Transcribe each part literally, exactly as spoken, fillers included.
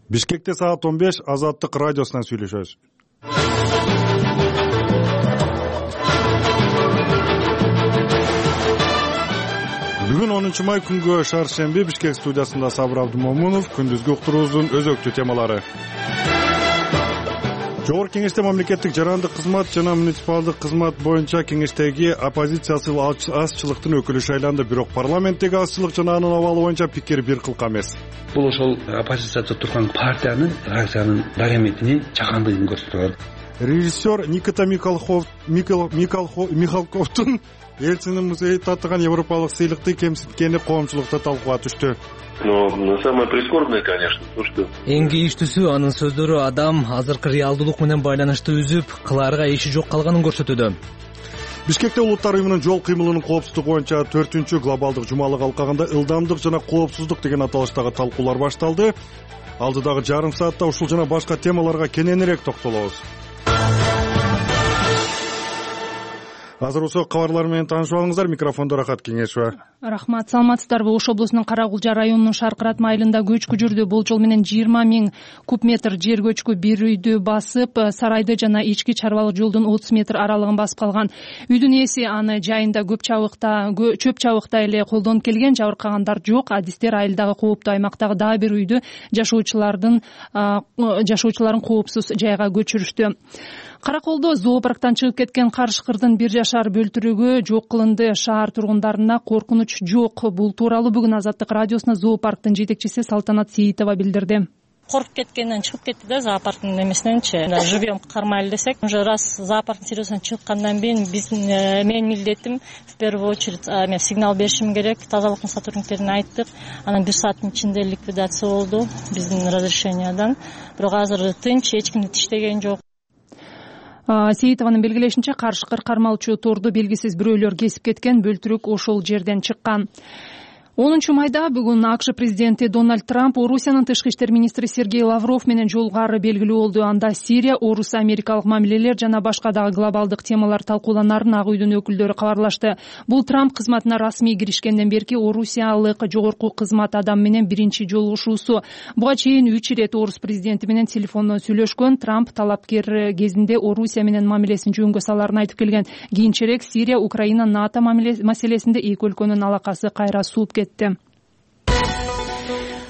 Бишкекте саат он беш Азаттык радиосунан сүйлөшөбүз. Бүгүн онунчу май күнгө шаршемби Бишкек студиясында Сабыр Абдымомунов. Күндүзгү уктуруубуздун өзөктүү темалары. Жогорку Кеңеште мамлекеттик жарандык кызмат жана муниципалдык кызмат боюнча кеңештеги оппозициялык азчылыктын өкүлү шайланды. Бирок парламенттеги азчылык жана анын абалы боюнча пикир бир кылка эмес. Бул ошол оппозицияда турган партиянын, фракциянын дараметинин чагандыгын көрсөтөт. Режиссер Никита Михалковдун Элчинин музейи татыган европалык сыйлыкты кемситкени коомчулукта талкууга түштү. Но самое прискорбное, конечно, то, что эң кейиштүүсү анын сөздөрү адам азыркы реалдуулук менен байланышты үзүп, кылаарга иши жок калганын көрсөтүүдө. Бишкекте Улуттар уюмунун жол кыймылынын коопсуздугу боюнча төртүнчү глобалдык жумалык алкагында ылдамдык жана коопсуздук деген аталыштагы талкуулар башталды. Алдыдагы жарым саатта ушул жана башка темаларга кененирээк токтолобуз. Азыр ошол кабарлар менен таанышып алыңыздар. Микрофондо Рахат Кеңешова. Рахмат. Саламатсыздарбы? Ош облусунун Карагулжа районунун Шаркыратма айылында көчкү жүрдү. Болжол менен жыйырма миң куб метр жер көчкү бир үйдү басып, сарайды жана ички чарбалык жолдун отуз метр аралыгын басып калган. Үйдүн ээси аны жайында көп чабыкта, чөп чабыкта эле колдонуп келген. Жабыркагандар жок. Адистер айылдагы кооптуу аймактагы дагы бир үйдү жашоочулардын жашоочуларын коопсуз жайга көчүрүштү. Караколдо зоопарктан чыгып кеткен карышкырдын бир жашар бөлтүрүгү жок кылынды. Шаар тургундарына коркунуч жок. Бул тууралуу бүгүн Азаттык радиосуна зоопарктын жетекчиси Салтанат Сейитова билдирди. Коркуп кеткенден чыгып кетти да зоопарктын эмесиненчи. Живьем кармайлы десек, уже раз зоопарктын терезесинен чыккандан кийин биздин менин милдетим в первую очередь мен сигнал беришим керек. Тазалыктын сотрудниктерине айттык. Анан бир сааттын ичинде ликвидация болду биздин разрешениядан. Бирок азыр тынч, эч кимди тиштеген жок. Сейитованын белгилешинче, карышкыр кармалчу торду белгисиз бирөөлөр кесип кеткен. Бөлтүрүк ошол жерден чыккан. онунчу майда бүгүн АКШ президенти Дональд Трамп Орусиянын тышкы иштер министри Сергей Лавров менен жолугары белгилүү болду. Анда Сирия, Орус, Америкалык мамилелер жана башка дагы глобалдык темалар талкууланарын Ак үйдүн өкүлдөрү кабарлашты. Бул Трамп кызматына расмий киришкенден берки Орусиялык жогорку кызмат адам менен биринчи жолугушуусу. Буга чейин үч ирет Орус президенти менен телефондон сүйлөшкөн. Трамп талапкер кезинде Орусия менен мамилесин жөнгө саларын айтып келген. Кийинчерээк Сирия, Украина, НАТО маселесинде эки өлкөнүн алакасы кайра сууп кетти.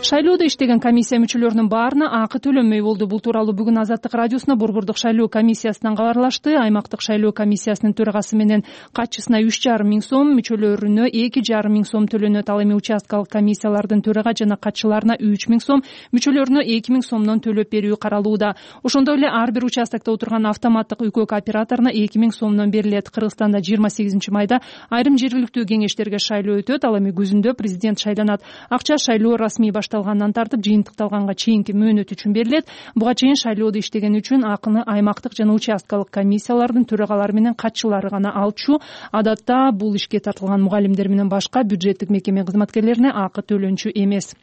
Шайлоодо иштеген комиссия мүчөлөрүнүн баарына акы төлөнмөй болду. Бул тууралуу бүгүн Азаттык радиосуна Борбордук шайлоо комиссиясынан кабарлашты. Аймактык шайлоо комиссиясынын төрагасы менен катчысына үч жарым миң сом, мүчөлөрүнө эки жарым миң сом төлөнөт. Ал эми участкалык комиссиялардын төрага жана катчыларына үч миң сом, мүчөлөрүнө эки миң сомдон төлөп берүү каралууда. Ошондой эле ар бир участкта отурган автоматтык үкөк операторуна эки миң сомдон берилет. Кыргызстанда жыйырма сегизинчи майда айрым жергиликтүү кеңештерге шайлоо өтөт. Ал эми күзүндө президент шайланат. Акча шайлоо расмий башталгандан тартып жыйынтыкталганга чейинки мөөнөт үчүн берилет. Буга чейин шайлоодо иштеген үчүн акыны аймактык жана участкалык комиссиялардын төрагалары менен катчылары гана алчу. Адатта бул ишке тартылган мугалимдер менен башка бюджеттик мекеме кызматкерлерине акы төлөнчү эмес.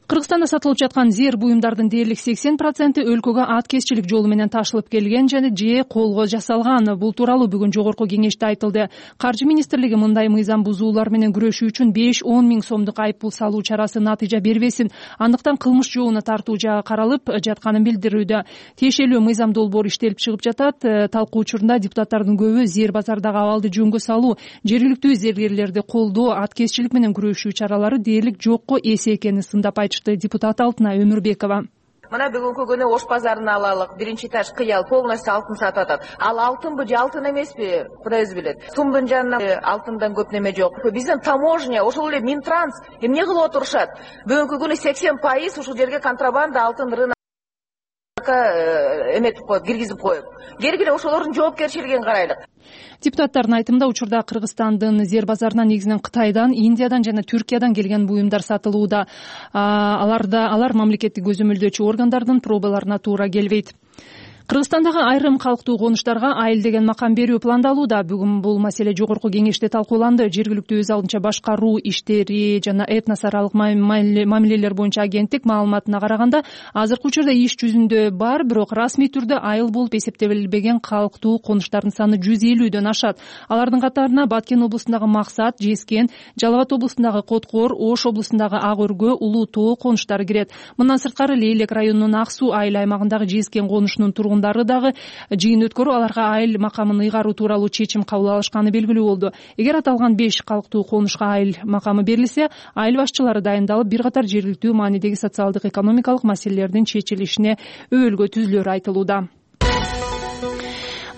Кыргызстанда сатылып жаткан зер буюмдардын дээрлик сексен проценти өлкөгө аткезчилик жолу менен ташылып келген жана же колго жасалган. Бул тууралуу бүгүн жогорку кеңеште айтылды. Каржы министрлиги мындай мыйзам бузуулар менен күрөшүү үчүн беш-он миң сомдук айыппул салуу чарасы натыйжа бербесин, андыктан кылмыш жообуна тартуу жагы каралып жатканын билдирүүдө. Тиешелүү мыйзам долбоор иштелип чыгып жатат. Талкуу учурунда депутаттардын көбү зер базардагы абалды жөнгө салуу, жергиликтүү зергерлерди колдоо, аткезчилик менен күрөшүү чаралары дээрлик жокко эсе экенин сындап айтышты. Депутат Алтына Өмүрбекова. Мына бүгүнкү күнү Ош базарын алалык, биринчи этаж кыял полностью алтын сатып атат. Ал алтынбы же алтын эмеспи, Кудайыз билет. Сумдун жанынан алтындан көп неме жок. Биздин таможня, ошол эле Минтранс эмне кылып отурушат? Бүгүнкү күнү сексен пайыз ушул жерге контрабанда алтын рынок эметип коюп, киргизип коюп. Келгиле ошолордун жоопкерчилигин карайлык. Депутаттардын айтымында учурда Кыргызстандын зер базарына негизинен Кытайдан, Индиядан жана Түркиядан келген буюмдар сатылууда. Аларда алар мамлекеттик көзөмөлдөөчү органдардын пробаларына туура келбейт. Кыргызстандагы айрым калктуу конуштарга айыл деген макам берүү пландалууда. Бүгүн бул маселе жогорку кеңеште талкууланды. Жергиликтүү өз алдынча башкаруу иштери жана этнос аралык мамилелер боюнча агенттик маалыматына караганда, азыркы учурда иш жүзүндө бар, бирок расмий түрдө айыл болуп эсептелбеген калктуу конуштардын саны жүз элүүдөн ашат. Алардын катарына Баткен облусундагы Максат, Жескен, Жалал Абад облусундагы Коткор, Ош облусундагы Ак Өргө, Улуу Тоо конуштары кирет. Мындан сырткары Лейлек районунун Ак Суу айыл аймагындагы Жескен конушунун тургундары дагы жыйын өткөрүп, аларга айыл макамын ыйгаруу тууралуу чечим кабыл алышканы белгилүү болду. Эгер аталган беш калктуу конушка айыл макамы берилсе, айыл башчылары дайындалып, бир катар жергиликтүү маанидеги социалдык экономикалык маселелердин чечилишине өбөлгө түзүлөрү айтылууда.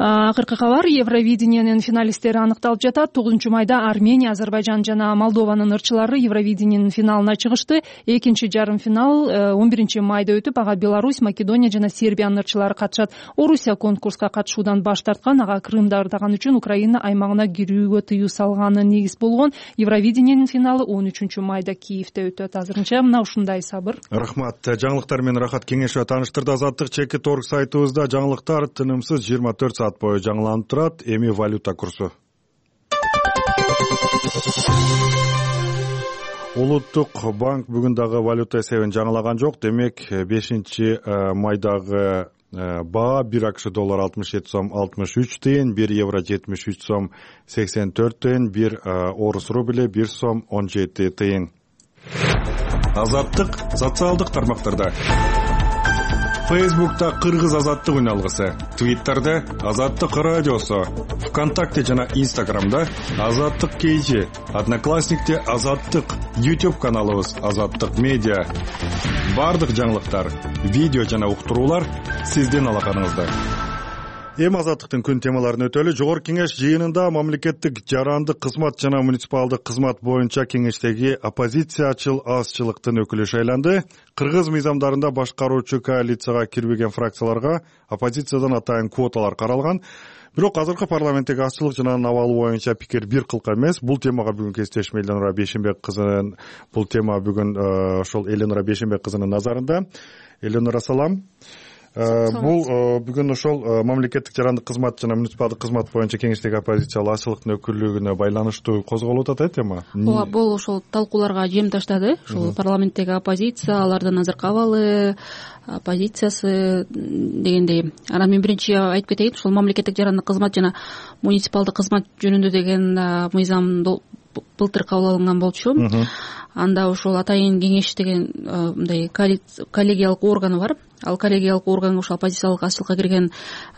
Акыркы кабар: Евровидениянын финалисттери аныкталып жатат. тогузунчу майда Армения, Азербайжан жана Молдованын ырчылары Евровидениянын финалына чыгышты. Экинчи жарым финал он биринчи майда өтүп, ага Беларусь, Македония жана Сербиянын ырчылары катышат. Орусия конкурска катышуудан баш тарткан, ага Крымды ардаган үчүн Украина аймагына кирүүгө тыюу салганы негиз болгон. Евровидениянын финалы он үчүнчү майда Киевде өтөт. Азырынча мына ушундай Сабыр. Рахмат. Жаңылыктар менен Рахат Кеңешова тааныштырды. Азаттык чекит орг сайтыбызда жаңылыктар тынымсыз жыйырма төрт саат бою жаңыланып турат. Эми валюта курсу. Улуттук банк бүгүн дагы валюта эсебин жаңылаган жок. Демек, бешинчи майдагы баа бир АКШ доллар алтымыш жети сом алтымыш үч тыйын, бир евро жетимиш үч сом сексен төрт тыйын, бир орус рубли бир сом он жети тыйын. Азаттык социалдык тармактарда: Фейсбукта Кыргыз азаттык үн алгысы, Твиттерде Азаттык радиосу, ВКонтакте жана Инстаграмда Азаттык кейжи, Одноклассникте Азаттык, YouTube каналыбыз Азаттык медиа. Бардык жаңылыктар, видео жана уктуруулар сиздин алаканыңызда. Эми азаттыктын күн темаларын өтөлү. Жогорку кеңеш жыйынында мамлекеттик жарандык кызмат жана муниципалдык кызмат боюнча кеңештеги оппозициячыл азчылыктын өкүлү шайланды. Кыргыз мыйзамдарында башкаруучу коалицияга кирбеген фракцияларга оппозициядан атайын квоталар каралган. Бирок азыркы парламенттеги азчылык жана анын абалы боюнча пикир бир кылка эмес. Бул темага бүгүн кесиптешим Эленора Бейшенбек кызынын бул тема бүгүн ошол Эленора Бейшенбек кызынын назарында. Эленора, салам. Бул бүгүн ошол мамлекеттик жарандык кызмат жана муниципалдык кызмат боюнча кеңештеги оппозициялык азчылыктын өкүллүгүнө байланыштуу козголуп атат э тема. Ооба, бул ошол талкууларга жем таштады. Ошол парламенттеги оппозиция, алардын азыркы абалы, оппозициясы дегендей. Анан мен биринчи айтып кетейин, ошол мамлекеттик жарандык кызмат жана муниципалдык кызмат жөнүндө деген мыйзам былтыр кабыл алынган болчу. Анда ошол атайын кеңеш деген мындай коллегиялык органы бар. Ал коллегиялык орган ошол оппозициялык азчылыкка кирген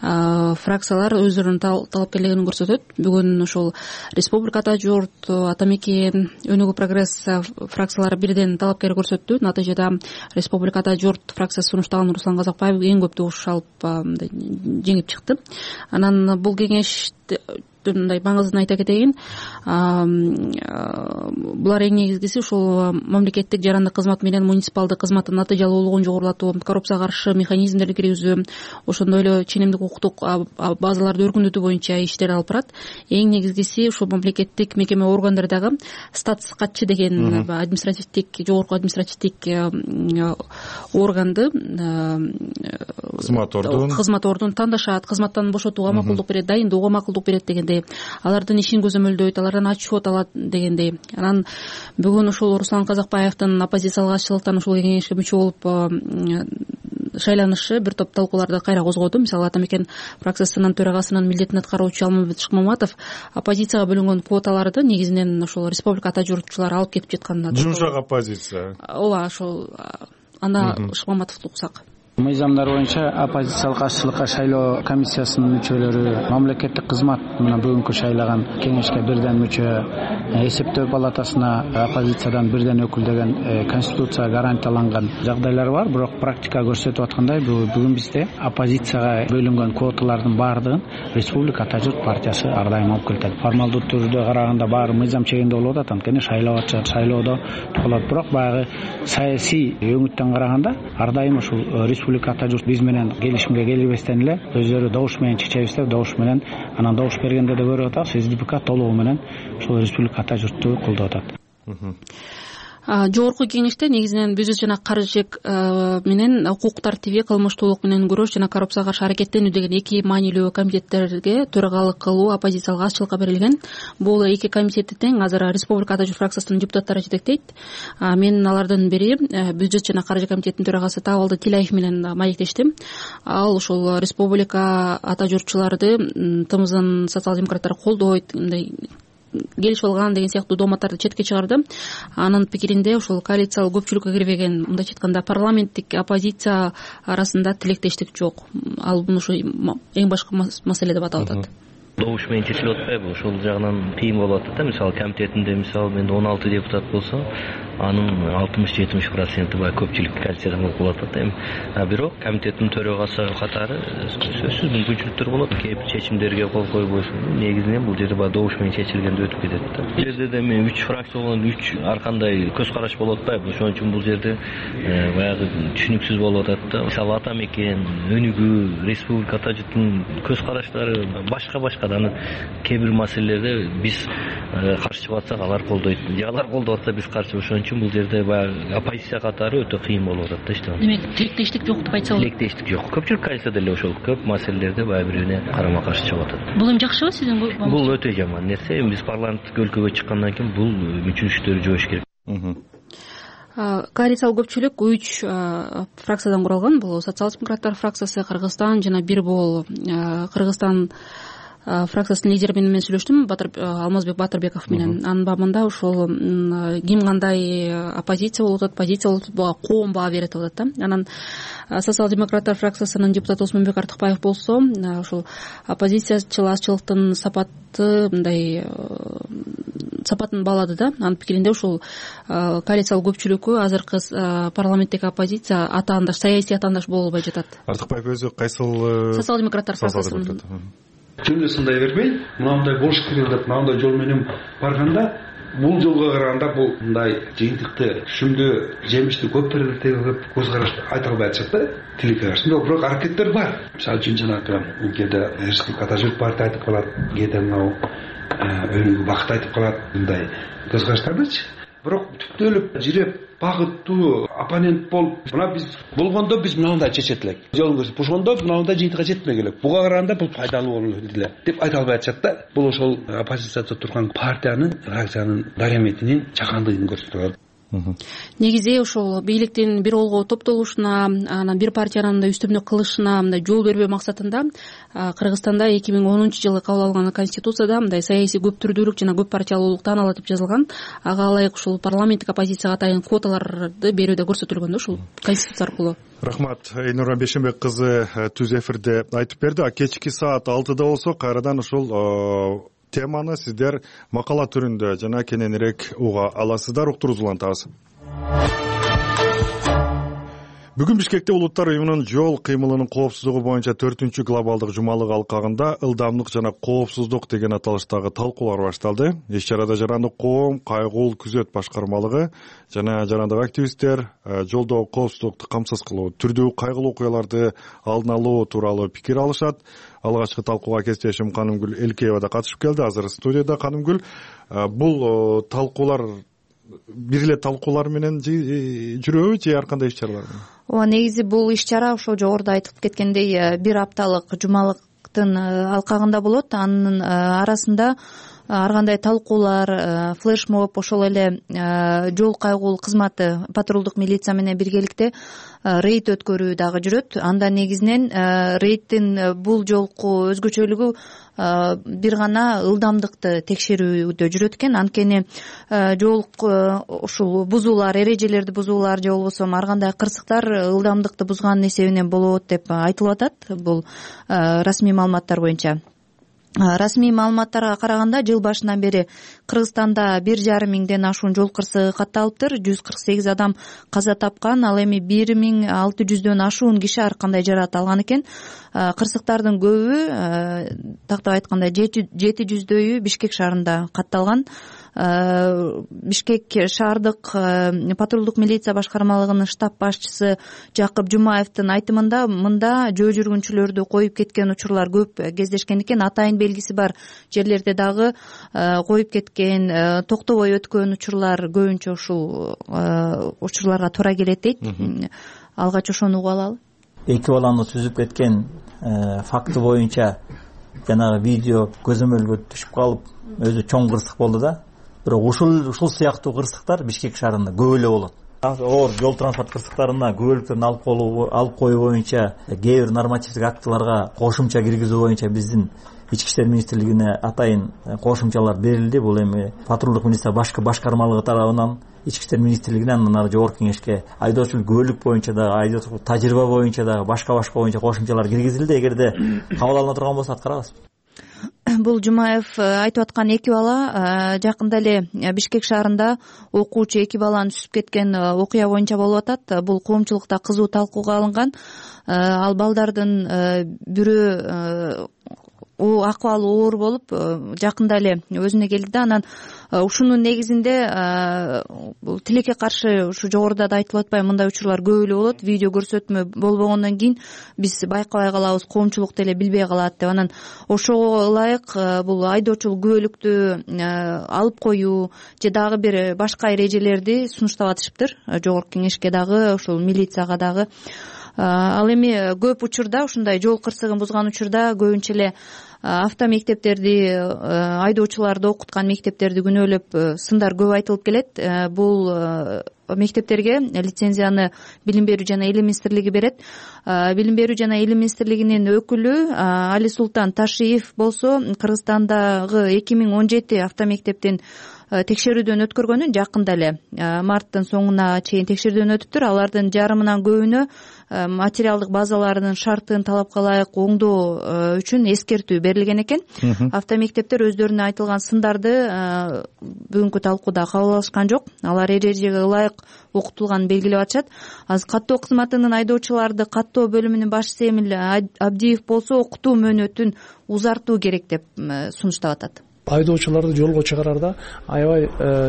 фракциялар өздөрүнүн талапкерлигин көрсөтөт. Бүгүн ошол Республика Ата Журт, Ата Мекен, Өнүгүү Прогресс фракциялары бирден талапкер көрсөттү. Натыйжада Республика Ата Журт фракциясы сунуштаган Руслан Казакбаев эң көп добуш алып жеңип чыкты. Анан бул кеңеш мындай маңызын айта кетейин. Булар эң негизгиси ошол мамлекеттик жарандык кызмат менен муниципалдык кызматтын натыйжалуулугун жогорулатуу, коррупцияга каршы механизмдерди киргизүү, ошондой эле ченемдик укуктук базаларды өркүндөтүү боюнча иштер алып барат. Эң негизгиси ошол мамлекеттик мекеме органдарындагы статус катчы деген административдик, жогорку административдик органды, кызмат ордун кызмат ордун тандашат, кызматтан бошотууга макулдук берет, дайындоого макулдук берет дегендей, алардын ишин көзөмөлдөйт, алардан отчет алат дегендей. Анан бүгүн ошол Руслан Казакбаевдин оппозициялык азчылыктан ошол кеңешке мүчө болуп шайланышы бир топ талкууларды кайра козгоду. Мисалы, Ата Мекен фракциясынын төрагасынын милдетин аткаруучу Алмамбет Шыкмаматов оппозицияга бөлүнгөн квоталарды негизинен ошол Республика Ата Журтчулар алып кетип жатканын. Жумшак оппозиция. Ооба, ошол анда Шыкмаматовду уксак. Мыйзамдар боюнча оппозициялык азчылыкка шайлоо комиссиясынын мүчөлөрү мамлекеттик кызмат мына бүгүнкү шайлаган кеңешке бирден мүчө, эсептөө палатасына оппозициядан бирден өкүл деген конституция гарантияланган жагдайлар бар. Бирок практика көрсөтүп аткандай, бүгүн бизде оппозицияга бөлүнгөн квоталардын баардыгын Республика Ата Журт партиясы ар дайым алып келет. Формалдуу түрдө караганда баары мыйзам чегинде болуп атат, анткени шайлоо ачат, шайлоодо болот. Бирок баягы саясий өңүттөн караганда ар дайым ушул Республика Ата Журт биз менен келишимге келбестен эле өздөрү добуш менен чечебиз деп добуш менен анан добуш бергенде да көрүп атабыз, СДПК толугу менен ушул Республика Ата Журтту колдоп атат. Жогорку кеңеште негизинен бюджет жана каржы менен укук тартиби, кылмыштуулук менен күрөш жана коррупцияга каршы аракеттенүү деген эки маанилүү комитеттерге төрагалык кылуу оппозициялык азчылыкка берилген. Бул эки комитетти тең азыр Республика Ата Жүр фракциясынын депутаттары жетектейт. Мен алардын бири бюджет жана каржы комитетинин төрагасы Табалды Тилаев менен маектештим. Ал ошол Республика Ата Жүрчүларды тымыздын социал-демократтар колдойт, мындай келишип алган деген сыяктуу дооматтарды четке чыгарды. Анын пикиринде ошол коалициялык көпчүлүккө кирбеген, мындайча айтканда парламенттик оппозиция арасында тилектештик жок. Ал муну ушу эң башкы маселе деп аталып атат. Добуш менен чечилип атпайбы? Ошол жагынан кыйын болуп атат да. Мисалы комитетинде мисалы мен он алты депутат болсо, анын алтымыш жетимиш проценти баягы көпчүлүк коалициядан болуп атат эми. А бирок комитеттин төрагасы катары сөзсүз мүмкүнчүлүктөр болот. Кээ бир чечимдерге кол койбойсун. Негизинен бул жерде баягы добуш менен чечилгенде өтүп кетет да. Бул жерде да эми үч фракция болгон үч ар кандай көз караш болуп атпайбы? Ошон үчүн бул жерде баягы түшүнүксүз болуп атат да. Мисалы Ата Мекен, Өнүгүү, Республика Ата Журттун көз караштары башка-башка. Анан кээ бир маселелерде биз каршы чыгып атсак алар колдойт, же алар колдоп атса биз каршы. Ошон үчүн бул жерде баягы оппозиция катары өтө кыйын болуп атат да иштеп. Демек, тилектештик жок деп айтса болот. Тилектештик жок. Көпчүлүк коалицияда эле ошол көп маселелерде баягы бири-бирине карама-каршы чыгып атат. Бул эми жакшыбы сиздин? Бул өтө жаман нерсе. Эми биз парламенттик өлкөгө чыккандан кийин бул мүчүлүштөрү жойуш керек. Коалициялык көпчүлүк үч фракциядан куралган. Бул социал-демократтар фракциясы, Кыргызстан жана бир бул Кыргызстан фракциясынын лидери менен мен сүйлөштүм, Алмазбек Батырбеков менен. Анын бабында ошол ким кандай оппозиция болуп атат, позиция болуп атат, буга коом баа берет деп атат да. Анан социал-демократтар фракциясынын депутаты Осмонбек Артыкбаев болсо, ошол оппозициячыл азчылыктын сапаты мындай сапатын баалады да. Анын пикиринде ушул коалициялык көпчүлүккө азыркы парламенттеги оппозиция атаандаш, саясий атаандаш боло албай жатат. Артыкбаев өзү кайсыл? Социал-демократтар фракциясынын. Жөнүндө сындай бербей, мындай болуш керек деп мындай жол менен барганда, бул жолго караганда бул мындай жыйынтыкты, түшүмдүү, жемиштүү көп тегип көз карашты айта албай атышат да, тилекке каршы. Бирок аракеттер бар. Мисалы үчүн жанагы кээде Республика Ата Жүр партия айтып калат, кээде мынау Өнүгүү бакыт айтып калат, мындай көз караштардычы. Бирок түптөлүп жиреп багыттуу оппонент болуп, мына биз болгондо биз мынандай чечет элек. Жолун көрсөтүп, ошондо мынандай жыйынтыкка жетмек элек. Буга караганда бул пайдалуу болот эле деп айта албай атышат да. Бул ошол оппозицияда турган партиянын, фракциянын дараметинин чакандыгын көрсөтөт. Негизи ошол бийликтин бир олго топтолушуна, анан бир партиянын мындай үстөмдүк кылышына мындай жол бербөө максатында Кыргызстанда эки миң онунчу жылы кабыл алынган конституцияда мындай саясий көп түрдүүлүк жана көп партиялуулук таанылат деп жазылган. Ага ылайык ушул парламенттик оппозицияга атайын квоталарды берүүдө көрсөтүлгөн да ушул конституция аркылуу. Рахмат. Эйнура Бешенбек кызы түз эфирде айтып берди. А кечки саат алтыда болсо кайрадан ушул теманы сиздер макала түрүндө жана кененирээк уга аласыздар. Уктуруңузду улантабыз. Бүгүн Бишкекте Улуттар уюмунун жол кыймылынын коопсуздугу боюнча төртүнчү глобалдык жумалык алкагында ылдамдык жана коопсуздук деген аталыштагы талкуулар башталды. Иш чарада жарандык коом, кайгуул күзөт башкармалыгы жана жарандык активисттер жолдогу коопсуздукту камсыз кылуу, түрдүү кайгылуу окуяларды алдын алуу тууралуу пикир алышат. Алгачкы талкууга кесиптешим Канымгүл Элкеева да катышып келди. Азыр студияда. Канымгүл, бул талкуулар бир эле талкуулар менен жүрөбү же ар кандай иш чаралар менен? Ооба, негизи бул иш чара ошол жогоруда айтып кеткендей бир апталык жумалыктын алкагында болот. Анын арасында ар кандай талкуулар, флешмоб, ошол эле жол кайгуул кызматы, патрулдук милиция менен биргеликте рейд өткөрүү дагы жүрөт. Анда негизинен рейдтин бул жолку өзгөчөлүгү бир гана ылдамдыкты текшерүүдө жүрөт экен. Анткени жол ушул бузуулар, эрежелерди бузуулар же болбосо ар кандай кырсыктар ылдамдыкты бузганын эсебинен болот деп айтылып атат. Бул расмий маалыматтар боюнча. Расмий маалыматтарга караганда жыл башынан бери Кыргызстанда бир жарым миңден ашуун жол кырсыгы катталыптыр. жүз кырк сегиз адам каза тапкан, ал эми бир миң алты жүздөн ашуун киши ар кандай жаракат алган экен. Кырсыктардын көбү, тактап айтканда жети жүздөйү Бишкек шаарында катталган. Бишкек шаардык патрулдук милиция башкармалыгынын штаб башчысы Жакып Жумаевдин айтымында мында жөө жүргүнчүлөрдү коюп кеткен учурлар көп кездешкен экен. Атайын белгиси бар жерлерде дагы коюп кеткен, токтобой өткөн учурлар көбүнчө ушул учурларга туура келет дейт. Алгач ошону угуп алалы. Эки баланы сүзүп кеткен факты боюнча жанагы видео көзөмөлгө түшүп калып өзү чоң кырсык болду да. Бирок ушул ушул сыяктуу кырсыктар Бишкек шаарында көп эле болот. Оор жол транспорт кырсыктарына күбөлүктөрүн алып коюу алып коюу боюнча кээ бир нормативдик актыларга кошумча киргизүү боюнча биздин Ички иштер министрлигине атайын кошумчалар берилди. Бул эми патрулдук милиция башкы башкармалыгы тарабынан Ички иштер министрлигине, андан ары жогорку кеңешке айдоочулук күбөлүк боюнча дагы, айдоочулук тажрыйба боюнча дагы башка-башка боюнча кошумчалар киргизилди. Эгерде кабыл алына турган болсо аткарабыз. Бул Жумаев айтып аткан эки бала жакында эле Бишкек шаарында окуучу эки баланы сүзүп кеткен окуя боюнча болуп атат. Бул коомчулукта кызуу талкууга алынган. Ал балдардын бирөө акыбалы оор болуп жакында эле өзүнө келди да, анан ушунун негизинде тилекке каршы ушу жогоруда да айтылып атпайбы, мындай учурлар көп эле болот. Видео көрсөтмө болбогондон кийин биз байкабай калабыз, коомчулук деле билбей калат деп. Анан ошого ылайык бул айдоочулук күбөлүктү алып коюу же дагы бир башка эрежелерди сунуштап атышыптыр жогорку кеңешке дагы, ушул милицияга дагы. Ал эми көп учурда ушундай жол кырсыгын бузган учурда көбүнчө эле автомектептерди, айдоочуларды окуткан мектептерди күнөөлөп сындар көп айтылып келет. Бул мектептерге лицензияны Билим берүү жана Илим министрлиги берет. Билим берүү жана Илим министрлигинин өкүлү Али Султан Ташиев болсо Кыргызстандагы эки миң он жети автомектептин текшерүүдөн өткөргөнүн жакында эле марттын соңуна чейин текшерүүдөн өтүптүр. Алардын жарымынан көбүнө материалдык базаларынын шартын талапка ылайык оңдоо үчүн эскертүү берилген экен. Автомектептер өздөрүнө айтылган сындарды бүгүнкү талкууда кабыл алышкан жок. Алар эрежеге ылайык окутулганын белгилеп атышат. Азыр каттоо кызматынын айдоочуларды каттоо бөлүмүнүн башчысы Эмил Абдиев болсо окутуу мөөнөтүн узартуу керек деп сунуштап атат. Айдоочуларды жолго чыгарарда аябай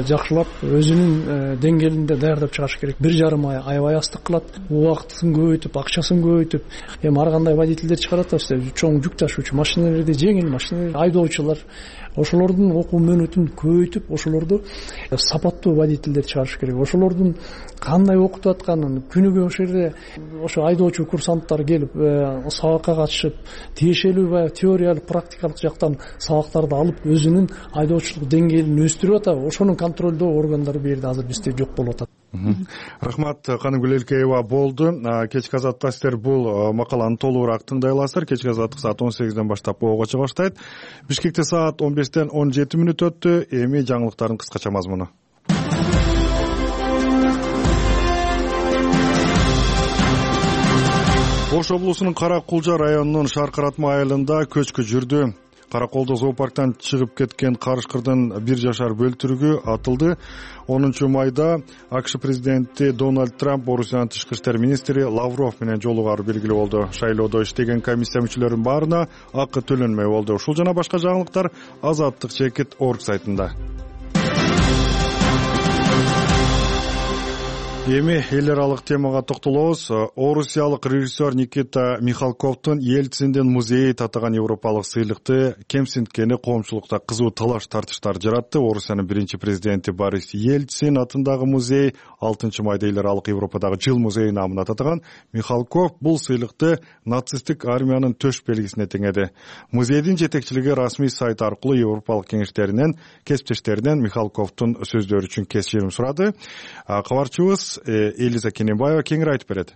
жакшылап өзүнүн деңгээлинде даярдап чыгарыш керек. Бир жарым ай аябай астык кылат, убактысын көбөйтүп, акчасын көбөйтүп. Эми ар кандай водительдер чыгарат да, чоң жүк ташуучу машиналерди, жеңил машиналер, айдоочулар, ошолордун окуу мөөнөтүн көбөйтүп, ошолорду сапаттуу водительдер чыгарыш керек. Ошолордун кандай окутуп атканын, күнүгө ошол жерде ошо айдоочу курсанттар келип сабакка катышып, тиешелүү баягы теориялык, практикалык жактан сабактарды алып, өзүнүн айдоочулук деңгээлин өстүрүп атат. Ошонун контролдоо органдары бул жерде азыр бизде жок болуп атат. Рахмат, Каныгүл Элкеева болду. Кечки азаттыкта сиздер бул макаланы толугураак тыңдай аласыздар. Кечки азаттык саат он сегизден баштап ого чыга баштайт. Бишкекте саат он бештен он жети мүнөт өттү. Эми жаңылыктардын кыскача мазмуну. Ош облусунун Кара Кулжа районунун Шаркыратма айылында көчкү жүрдү. Караколдо зоопарктан чыгып кеткен карышкырдын бир жашар бөлтүрүгү атылды. онунчу майда АКШ президенти Дональд Трамп Орусиянын тышкы иштер министри Лавров менен жолугары белгилүү болду. Шайлоодо иштеген комиссия мүчөлөрүнүн баарына акы төлөнмөй болду. Ушул жана башка жаңылыктар азаттык чекит орг сайтында. Эми эл аралык темага токтолобуз. Орусиялык режиссер Никита Михалковдун Ельциндин музейи татаган европалык сыйлыкты кемсинткени коомчулукта кызуу талаш тартыштар жаратты. Орусиянын биринчи президенти Борис Ельцин атындагы музей алтынчы майда эл аралык Европадагы жыл музейи намына татаган. Михалков бул сыйлыкты нацисттик армиянын төш белгисине теңеди. Музейдин жетекчилиги расмий сайт аркылуу европалык кеңештеринен, кесиптештеринен Михалковдун сөздөрү үчүн кечирим сурады. Кабарчыбыз Элиза Кененбаева кеңири айтып берет.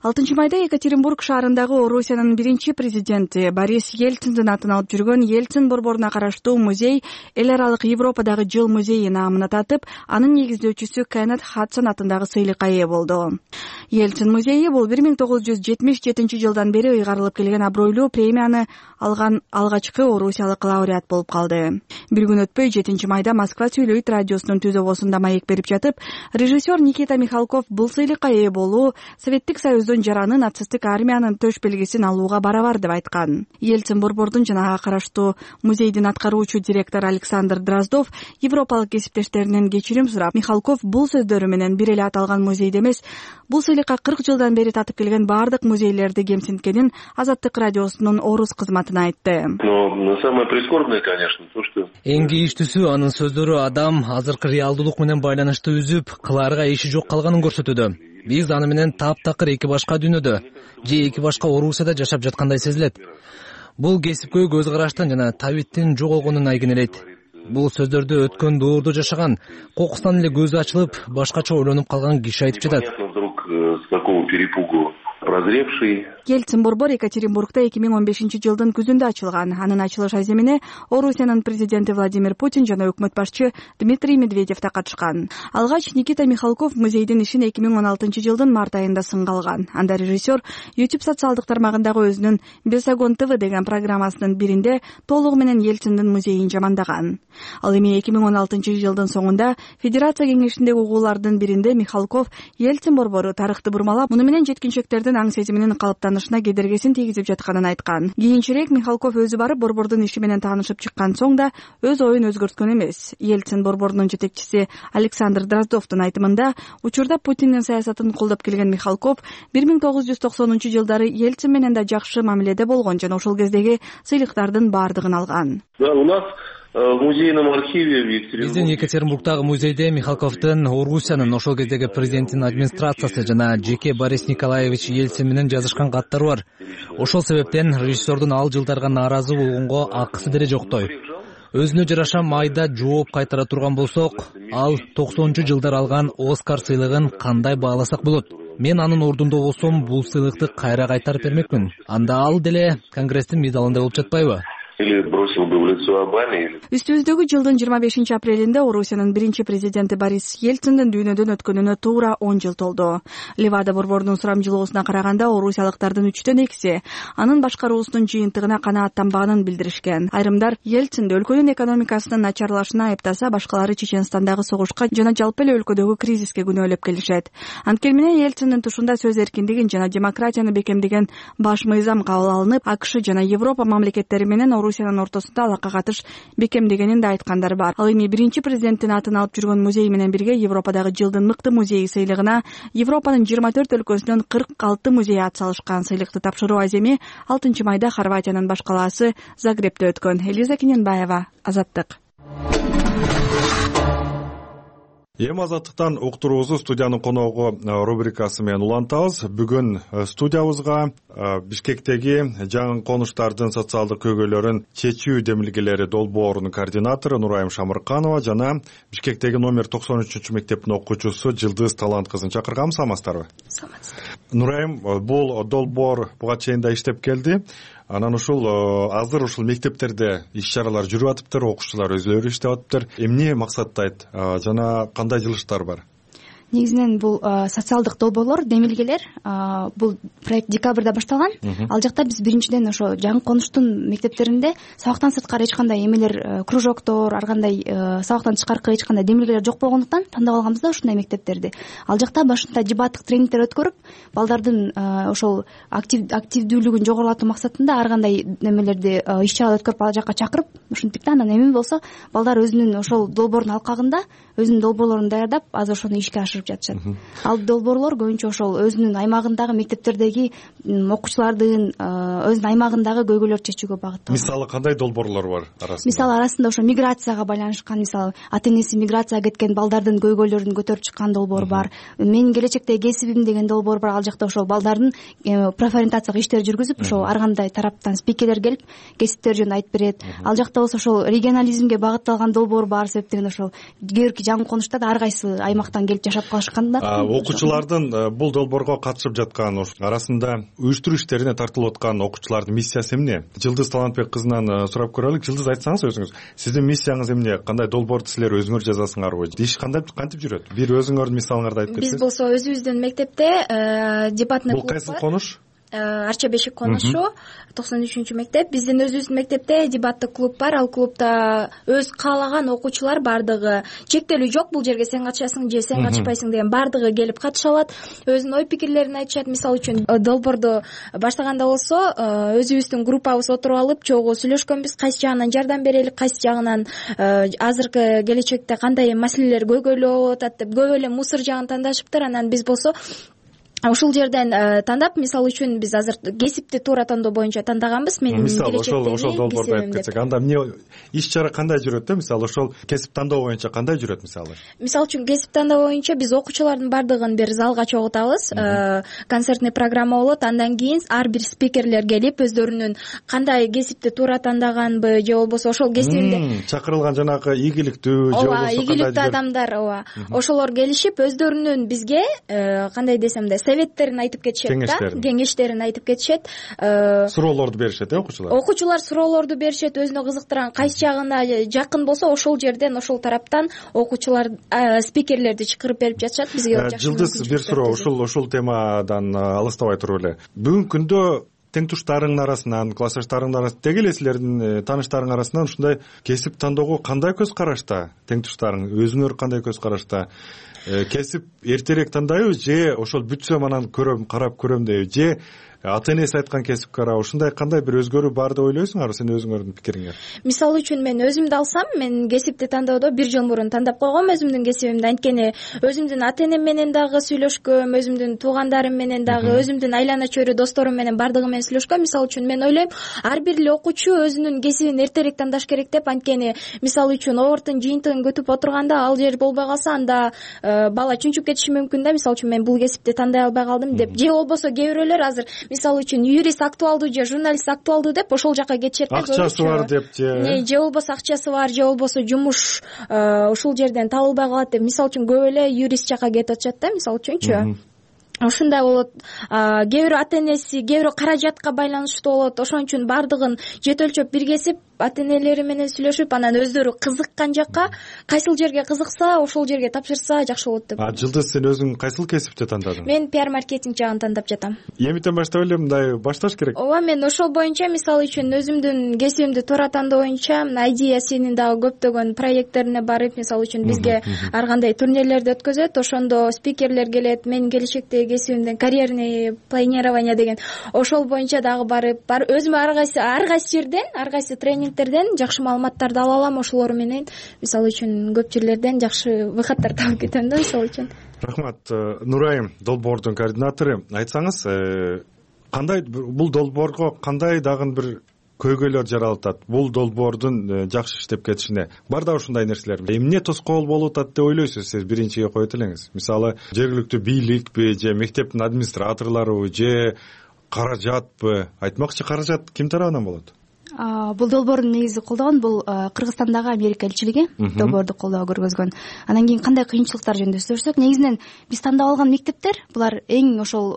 алтынчы майда Екатеринбург шаарындагы Орусиянын биринчи президенти Борис Ельциндин атын алып жүргөн Ельцин борборуна караштуу музей эл аралык Европадагы жыл музейи наамына татып, анын негиздөөчүсү Кеннет Хадсон атындагы сыйлыкка ээ болду. Ельцин музейи бул бир миң тогуз жүз жетимиш жетинчи жылдан бери ыйгарылып келген абройлуу премияны алган алгачкы орусиялык лауреат болуп калды. Бир күн өтпөй жетинчи майда Москва сүйлөйт радиосунун түз обосунда маек берип жатып, режиссер Никита Михалков бул сыйлыкка ээ болуу Советтик Союздун борбордун жараны нацисттик армиянын төш белгисин алууга барабар деп айткан. Ельцин борбордун жана ага караштуу музейдин аткаруучу директору Александр Дроздов европалык кесиптештеринен кечирим сурап, Михалков бул сөздөрү менен бир эле аталган музейди эмес, бул сыйлыкка кырк жылдан бери татып келген баардык музейлерди кемсинткенин Азаттык радиосунун орус кызматына айтты. Но самое прискорбное, конечно, то, что эң кейиштүүсү анын сөздөрү адам азыркы реалдуулук менен байланышты үзүп, кылаарга иши жок калганын көрсөтүүдө. Биз аны менен таптакыр эки башка дүйнөдө же эки башка Орусияда жашап жаткандай сезилет. Бул кесипкөй көз караштын жана табиттин жоголгонун айгинелейт. Бул сөздөрдү өткөн доордо жашаган, кокустан эле көзү ачылып, башкача ойлонуп калган киши айтып жатат. Прозревший. Ельцин борбор Екатеринбургда эки миң он бешинчи жылдын күзүндө ачылган. Анын ачылыш аземине Орусиянын президенти Владимир Путин жана өкмөт башчы Дмитрий Медведев да катышкан. Алгач Никита Михалков музейдин ишин эки миң он алтынчы жылдын март айында сынга алган. Анда режиссер YouTube социалдык тармагындагы өзүнүн Бесогон ТВ деген программасынын биринде толугу менен Ельциндин музейин жамандаган. Ал эми эки миң он алтынчы жылдын соңунда Федерация кеңешиндеги угуулардын биринде Михалков Ельцин борбору тарыхты бурмалап, муну менен жеткинчектердин аң сезиминин калыптанышына кедергесин тийгизип жатканын айткан. Кийинчерээк Михалков өзү барып борбордун иши менен таанышып чыккан соң да өз оюн өзгөрткөн эмес. Ельцин борборунун жетекчиси Александр Дроздовдун айтымында, учурда Путиндин саясатын колдоп келген Михалков бир миң тогуз жүз токсонунчу жылдары Ельцин менен да жакшы мамиледе болгон жана ошол кездеги сыйлыктардын баардыгын алган. Да, у нас в музейном архиве в Екатеринбурге. Биздин Екатеринбургдагы музейде Михалковдун Орусиянын ошол кездеги президенттин администрациясы жана жеке Борис Николаевич Ельцин менен жазышкан каттары бар. Ошол себептен режиссердун ал жылдарга нааразы болгонго акысы деле жоктой. Өзүнө жараша майда жооп кайтара турган болсок, ал токсонунчу жылдар алган Оскар сыйлыгын кандай бааласак болот? Мен анын ордунда болсом, бул сыйлыкты кайра кайтарып бермекмин. Анда ал деле Конгресстин медалында болуп жатпайбы? Или бросил бы в лицо Обаме. Үстүбүздөгү жылдын жыйырма бешинчи апрелинде Орусиянын биринчи президенти Борис Ельциндин дүйнөдөн өткөнүнө туура он жыл толду. Левада борборунун сурамжылоосуна караганда орусиялыктардын үчтөн экиси анын башкаруусунун жыйынтыгына канааттанбаганын билдиришкен. Айрымдар Ельцинди өлкөнүн экономикасынын начарлашына айыптаса, башкалары Чеченстандагы согушка жана жалпы эле өлкөдөгү кризиске күнөөлөп келишет. Анткени менен Ельциндин тушунда сөз эркиндигин жана демократияны бекемдеген баш мыйзам кабыл алынып, АКШ жана Европа мамлекеттери менен Орусиянын ортосунда алака катыш бекемдегенин да айткандар бар. Ал эми биринчи президенттин атын алып жүргөн музей менен бирге Европадагы жылдын мыкты музейи сыйлыгына Европанын жыйырма төрт өлкөсүнөн кырк алты музей ат салышкан. Сыйлыкты тапшыруу аземи алтынчы майда Хорватиянын баш калаасы Загребте өткөн. Элиза Кененбаева, Азаттык. Эми Азаттыктан уктуруубузду студиянын коногу рубрикасы менен улантабыз. Бүгүн студиябызга Бишкектеги жаңы конуштардын социалдык көйгөйлөрүн чечүү демилгелери долбоорунун координатору Нурайым Шамырканова жана Бишкектеги номер токсон үчүнчү мектептин окуучусу Жылдыз Талант кызын чакыргам. Саламатсыздарбы? Саламатсыздар. Нурайым, бул долбоор буга чейин да иштеп келди. Анан ушул азыр ушул мектептерде иш-чаралар жүрүп атыптыр, окуучулар өзүлөрү иштеп атыптыр. Эмне максаттайт жана кандай жылыштар бар? Негизинен бул социалдык долбоорлор, демилгелер, бул проект декабрда башталган. Ал жакта биз биринчиден ошо жаңы конуштун мектептеринде сабактан сырткары эч кандай эмелер, кружоктор, ар кандай сабактан тышкаркы эч кандай демилгелер жок болгондуктан тандап алганбыз да ушундай мектептерди. Ал жакта башында дебаттык тренингдер өткөрүп, балдардын ошол активдүүлүгүн жогорулатуу максатында ар кандай немелерди иш-чара өткөрүп ал жакка чакырып, ушинтип да анан эми болсо балдар өзүнүн ошол долбоордун алкагында өзүнүн долбоорлорун даярдап, азыр ошону ишке ашырып жатышат. Ал долбоорлор көбүнчө ошол өзүнүн аймагындагы мектептердеги окуучулардын өзүнүн аймагындагы көйгөйлөрдү чечүүгө багытталган. Мисалы кандай долбоорлор бар арасында? Мисалы арасында ошо миграцияга байланышкан, мисалы ата энеси миграцияга кеткен балдардын көйгөйлөрүн көтөрүп чыккан долбоор бар. Менин келечектеги кесибим деген долбоор бар. Ал жакта ошол балдардын профориентациялык иштер жүргүзүп, ошол ар кандай тараптан спикерлер келип кесиптер жөнүндө айтып берет. Ал жакта болсо ошол регионализмге багытталган долбоор бар себептен ошол кээ бир жаңы конушта да ар кайсы аймактан келип жашап калышкандар. Окуучулардын бул долбоорго катышып жаткан арасында уюштуруу иштерине тартылып аткан окуучулардын миссиясы эмне? Жылдыз Талантбек кызынан сурап көрөлүк. Жылдыз, айтсаңыз өзүңүз, сиздин миссияңыз эмне? Кандай долбоорду силер өзүңөр жазасыңарбы? Иш кандай кантип жүрөт? Бир өзүңөрдүн мисалыңарды айтып кетсеңиз. Биз болсо өзүбүздүн мектепте дебатный клуб бар. Бул кайсы конуш? Арча Бешик конушу токсон үчүнчү мектеп. Биздин өзүбүздүн мектепте дебаттык клуб бар. Ал клубда өз каалаган окуучулар бардыгы, чектелүү жок, бул жерге сен катышасың же сен катышпайсың деген, бардыгы келип катыша алат, өзүнүн ой пикирлерин айтышат. Мисалы үчүн долбоорду баштаганда болсо өзүбүздүн группабыз отуруп алып чогуу сүйлөшкөнбүз, кайсы жагынан жардам берели, кайсы жагынан азыркы келечекте кандай маселелер көйгөйлүү болуп атат деп көп эле мусор жагын тандашыптыр. Анан биз болсо ушул жерден тандап, мисалы үчүн биз азыр кесипти туура тандоо боюнча тандаганбыз. Менин мисалы ошол ошол долбоорду айтып кетсек, анда эмне иш чара кандай жүрөт да? Мисалы ошол кесип тандоо боюнча кандай жүрөт мисалы? Мисалы үчүн кесип тандоо боюнча биз окуучулардын бардыгын бир залга чогултабыз, концертный программа болот. Андан кийин ар бир спикерлер келип өздөрүнүн кандай кесипти туура тандаганбы же болбосо ошол кесибинде чакырылган жанагы ийгиликтүү же болбосо кандай ийгиликтүү адамдар, ооба, ошолор келишип өздөрүнүн бизге кандай десем да советтерин айтып кетишет да, кеңештерин айтып кетишет, суроолорду беришет э окуучулар. Окуучулар суроолорду беришет, өзүнө кызыктырган кайсы жагына жакын болсо ошол жерден, ошол тараптан окуучулар спикерлерди чакырып берип жатышат бизге. Жылдыз бир суроо ушул ушул темадан алыстабай туруп эле. Бүгүнкү күндө тең туштарыңдын арасынан, классташтарыңдын арасынан, деги эле силердин тааныштарыңдын арасынан ушундай кесип тандоого кандай көз карашта? Тең туштарың өзүңөр кандай көз карашта? Кесип эртерээк тандайбы же ошол бүтсөм анан көрөм, карап көрөм дейби, же ата энеси айткан кесипке карап ушундай кандай бир өзгөрүү бар деп ойлойсуңарбы сен өзүңөрдүн пикириңе? Мисалы үчүн мен өзүмдү алсам, мен кесипти тандоодо бир жыл мурун тандап койгом өзүмдүн кесибимди. Анткени өзүмдүн ата энем менен дагы сүйлөшкөм, өзүмдүн туугандарым менен дагы, өзүмдүн айлана чөйрө досторум менен бардыгы менен сүйлөшкөм. Мисалы үчүн мен ойлойм, ар бир эле окуучу өзүнүн кесибин эртерээк тандаш керек деп. Анткени мисалы үчүн оборттун жыйынтыгын күтүп отурганда ал жер болбой калса, анда бала чүнчүп кетиши мүмкүн да. Мисалы үчүн мен бул кесипти тандай албай калдым деп, же болбосо кээ бирөөлөр азыр мисалы үчүн юрист актуалдуу же журналист актуалдуу деп ошол жака кетишет да. Акчасы бар деп же же болбосо акчасы бар, же болбосо жумуш ушул жерден табылбай калат деп, мисалы үчүн көп эле юрист жака кетип атышат да. Мисалы үчүнчү ушундай болот. Кээ бирөө ата энеси, кээ бирөө каражатка байланыштуу болот. Ошон үчүн бардыгын жет өлчөп бир кесип ата энелери менен сүйлөшүп, анан өздөрү кызыккан жакка, кайсыл жерге кызыкса ошол жерге тапшырса жакшы болот деп. А Жылдыз, сен өзүң кайсыл кесипти тандадың? Мен пиар маркетинг жагын тандап жатам. Эмитен баштап эле мындай башташ керек? Ооба, мен ошол боюнча мисалы үчүн өзүмдүн кесибимди туура тандоо боюнча Айдия сенин дагы көптөгөн проекттерине барып, мисалы үчүн бизге ар кандай турнирлерди өткөзөт, ошондо спикерлер келет, менин келечектеги кесибимден карьерный планирование деген, ошол боюнча дагы барып, бар өзүм ар кайсы ар кайсы жерден, ар кайсы тренингтерден жакшы маалыматтарды ала алам. Ошолор менен мисалы үчүн көп жерлерден жакшы выходтар табып кетем да, мисалы үчүн. Рахмат. Нурайым, долбоордун координатору, айтсаңыз, кандай бул долбоорго кандай дагы бир көйгөйлөр жаралып атат? Бул долбоордун жакшы иштеп кетишине бар да ушундай нерселер. Эмне тоскоол болуп атат деп ойлойсуз сиз? Биринчиге коет элеңиз. Мисалы, жергиликтүү бийликпи же мектептин администраторлору же каражатпы? Айтмакчы, каражат ким тарабынан болот? Бул долбоорду негизи колдогон бул Кыргызстандагы Америка элчилиги долбоорду колдоо көргөзгөн. Анан кийин кандай кыйынчылыктар жөнүндө сөзсөк, негизинен биз тандап алган мектептер, булар эң ошол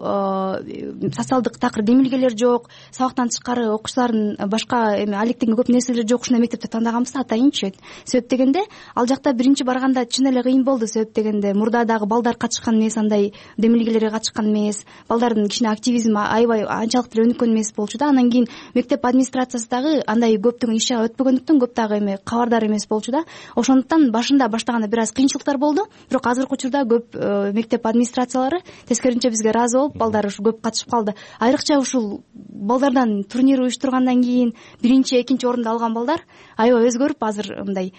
социалдык такыр демилгелер жок, сабактан тышкары окуучулардын башка эме алектенген көп нерселер жок, ушундай мектепти тандаганбыз атайынчы. Себеп дегенде, ал жакта биринчи барганда чын эле кыйын болду. Себеп дегенде, мурда дагы балдар катышкан эмес, андай демилгелерге катышкан эмес, балдардын кичине активизми аябай анчалык деле өнүккөн эмес болчу да. Анан кийин мектеп администрациясы андай көптөгөн иш чара өтпөгөндүктөн көп дагы эме кабардар эмес болчу да. Ошондуктан башында баштаганда бир аз кыйынчылыктар болду, бирок азыркы учурда көп мектеп администрациялары тескерисинче бизге ыраазы болуп, балдар ушу көп катышып калды. Айрыкча ушул балдардан турнир уюштургандан кийин биринчи, экинчи орунду алган балдар аябай өзгөрүп, азыр мындай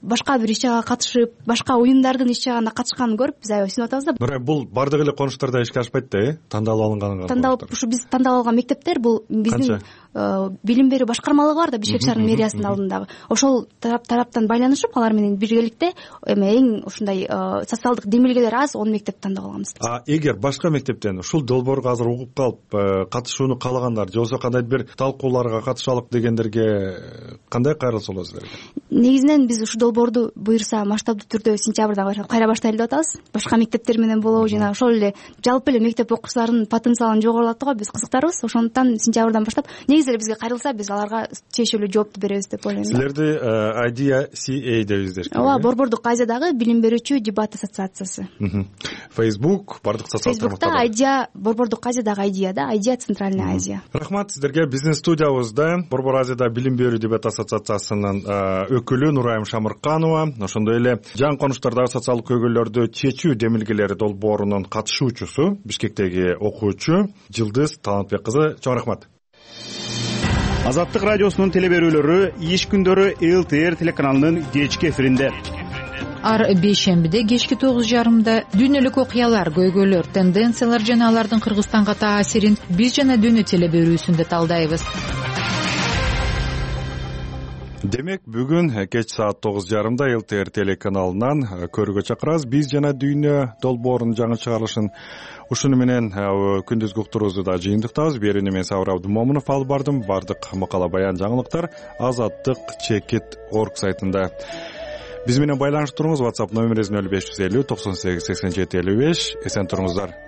башка бир иш чарага катышып, башка уюмдардын иш чарасына катышканын көрүп, биз аябай сүйүнүп атабыз да. Бирок бул бардык эле конуштарда ишке ашпайт да, э? Тандалып алынганга. Тандалып, ушу биз тандап алган мектептер бул биздин билим берүү башкармалыгы бар да, Бишкек шаарынын мэриясынын алдындагы. Ошол тараптан байланышып, алар менен биргеликте эме эң ушундай социалдык демилгелер аз он мектепти тандап алганбыз. А эгер башка мектептен ушул долбоорго азыр угуп калып катышууну каалагандар же болбосо кандайдыр бир талкууларга катышалык дегендерге кандай кайрылса болот силерге? негизинен биз ушул долбоорду буюрса масштабдуу түрдө сентябрдан баштап кайра баштайлы деп атабыз. Башка мектептер менен болобу, жана ошол эле жалпы эле мектеп окуучуларынын потенциалын жогорулатууга биз кызыктарбыз. Ошондуктан сентябрдан баштап негизи эле бизге кайрылса биз аларга тиешелүү жоопту беребиз деп ойлойм. Силерди ай ди си эй дебиздер. Ооба, Борбордук Азиядагы билим берүүчү дебат ассоциациясы. Facebook, бардык социалдык Facebook'та Айдия, Борбордук Азиядагы Айдия да, Айдия Центральная Азия. Рахмат сиздерге. Бизнес студиябызда Борбор Азияда билим берүү дебат ассоциациясынын өкүлү Нурайым Шамырканова, ошондой эле жаңы конуштардагы социалдык көйгөйлөрдү чечүү демилгелери долбоорунун катышуучусу, Бишкектеги окуучу Жылдыз Талантбек кызы. Чоң рахмат. Азаттык радиосунун теле берүүлөрү иш күндөрү эл ти эр телеканалынын кечки эфиринде. Ар бейшембиде кечки тогуз жарымда дүйнөлүк окуялар, көйгөйлөр, тенденциялар жана алардын Кыргызстанга таасирин биз жана дүйнө теле берүүсүндө талдайбыз. Демек, бүгүн кеч саат тогуз жарымда эл ти эр телеканалынан көрүүгө чакырабыз. Биз жана дүйнө долбоорунун жаңы чыгарылышын. Ушуну менен күндүзгү уктуруубузду да жыйынтыктабыз. Берүүнү мен Сабыр Абдымомунов алып бардым. Бардык макала, баян, жаңылыктар азаттык чекит орг сайтында. Биз менен байланышып туруңуз. WhatsApp номерибиз нөл беш жүз элүү токсон сегиз сексен жети элүү беш. Эсен туруңуздар.